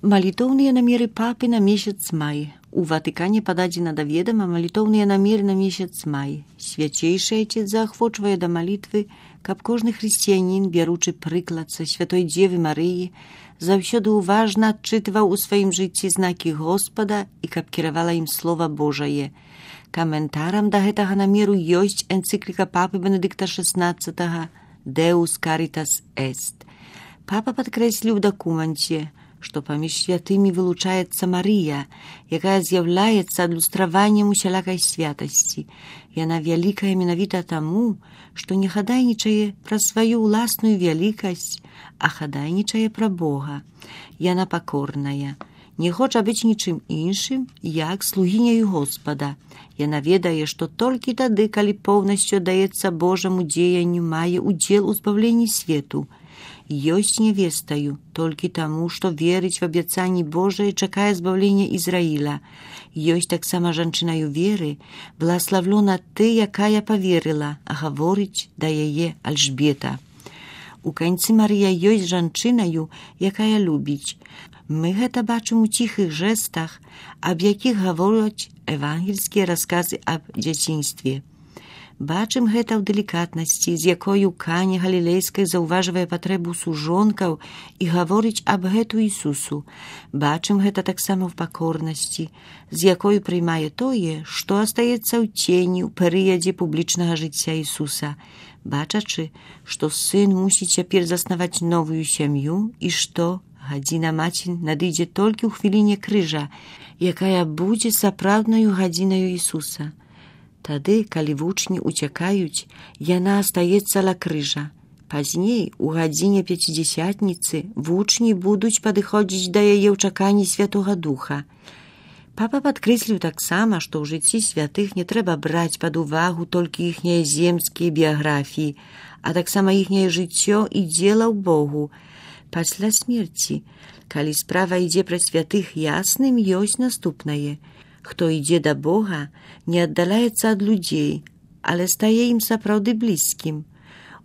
Малітоўныя намеры папы на месяц май. У Ватыкане пададзена да ведама малітоўныя намеры на месяц май. Свяцейшы Айцец заахвочвае да малітвы, каб кожны хрысціянін, бяручы прыклад са святой Дзевы Марыі, заўсёды уважна адчытваў у сваім жыцці знакі Господа і каб кіравала ім Слова Божае. Каментарам да гэтага намеру ёсць энцыкліка папы Бенедыкта XVI «Deus Caritas Est». Папа падкрэсліў у дакуменце, што паміж святымі вылучаецца Марыя, якая з'яўляецца адлюстраваннем усялякай святасці. Яна вялікая менавіта таму, што не хадайнічае пра сваю ўласную вялікасць, а хадайнічае пра Бога. Яна пакорная, не хоча быць нічым іншым, як слугіняю Господа. Яна ведае, што толькі тады, калі поўнасцю даецца Божаму дзеянню, мае удзел у збаўленні свету. Ёсць невестаю толькі таму, што верыць в абяцанні Божае, чакае збаўлення Ізраіля. Ёсць таксама жанчынаю веры, благаславлёна ты, якая паверыла, а гаворыць да яе Альжбета. У канцы Марыя ёсць жанчынаю, якая любіць. Мы гэта бачым у ціхых жэстах, аб якіх гавораць евангельскія расказы аб дзяцінстве. Бачым гэта ў далікатнасці, з якою Каня Галілейская заўважвае патрэбу сужонкаў і гаворыць аб гэту Ісусу. Бачым гэта таксама ў пакорнасці, з якой прымае тое, што астаецца ў цені ў перыядзе публічнага жыцця Ісуса, бачачы, што сын мусіць цяпер заснаваць новую сям'ю і што гадзіна маці надыдзе толькі ў хвіліне крыжа, якая будзе сапраўднаю гадзінаю Ісуса. Тады, калі вучні уцякаюць, яна астаецца ля крыжа. Пазней, у гадзіне пяцідзясятніцы, вучні будуць падыходзіць да яе ў чаканні Святога Духа. Папа падкрэсліў таксама, што ў жыцці святых не трэба браць пад увагу толькі іхнія земскія біяграфіі, а таксама іхняе жыццё і дзела ў Богу. Пасля смерці, калі справа ідзе пра святых, ясным ёсць наступнае. Хто ідзе да Бога, не аддаляецца ад людзей, але стае ім сапраўды блізкім.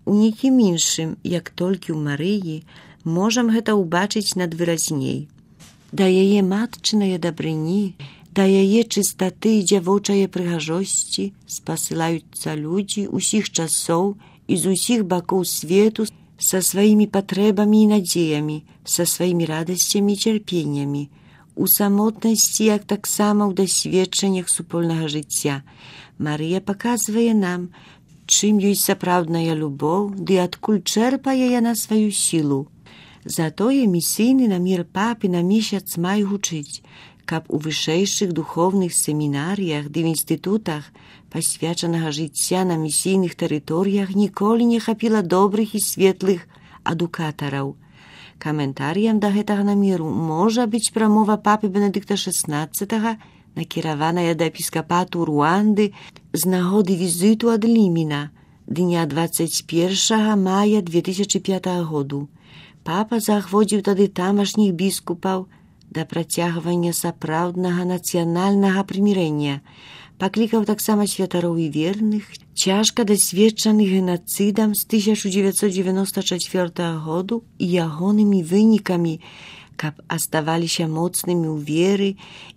У нікім іншым, як толькі ў Марыі, можам гэта ўбачыць надвыразней. Да яе матчынае дабрыні, да яе чыстаты і дзявочае прыгажосці спасылаюцца людзі ўсіх часоў і з усіх бакоў свету са сваімі патрэбамі і надзеямі, са сваімі радасцямі і цярпеннямі. У самотнасці, як таксама ў дасведчаннях супольнага жыцця. Марыя паказвае нам, чым ёсць сапраўдная любоў, ды адкуль чэрпае яна сваю сілу. Затое місійны намер папы на месяц май гучыць, каб у вышэйшых духоўных семінарыях ды в інстытутах пасвячанага жыцця на місійных тэрыторыях ніколі не хапіла добрых і светлых адукатараў. Каментарыям да гэтага намеру можа быць прамова папы Бенедыкта XVI, накіраваная да епіскапату Руанды з нагоды візіту ад Ліміна, дня 21 мая 2005 году. Папа заахвоціў тады тамашніх біскупаў да працягвання сапраўднага нацыянальнага прымірэння. Паклікаў таксама святароў і верных, цяжка дасведчаных генацыдам з 1994 году і ягонымі вынікамі, каб аставаліся моцнымі ў веры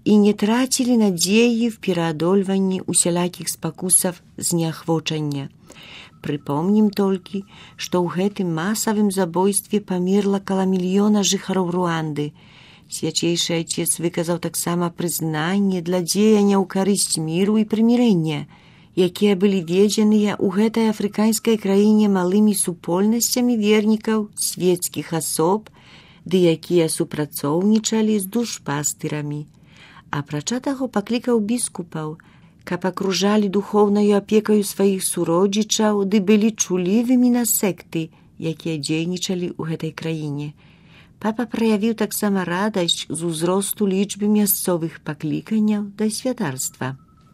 і не трацілі надзеі в пераадольванні усялякіх спакусаў зняхвочання. Прыпомнім толькі, што ў гэтым масавым забойстве памерла каля мільёна жыхароў Руанды. Свячейшы Айцец выказаў таксама прызнанне для дзеяння ў карысць міру і прымірэння, якія былі ведзеныя ў гэтай афрыканскай краіне малымі супольнасцямі вернікаў, свецкіх асоб, ды якія супрацоўнічалі з душпастырамі. Апрача таго паклікаў біскупаў, каб акружалі духоўнаю апекаю сваіх суродзічаў ды былі чулівымі на секты, якія дзейнічалі ў гэтай краіне. Папа праявіў таксама радасць з узросту лічбы мясцовых пакліканняў да святарства.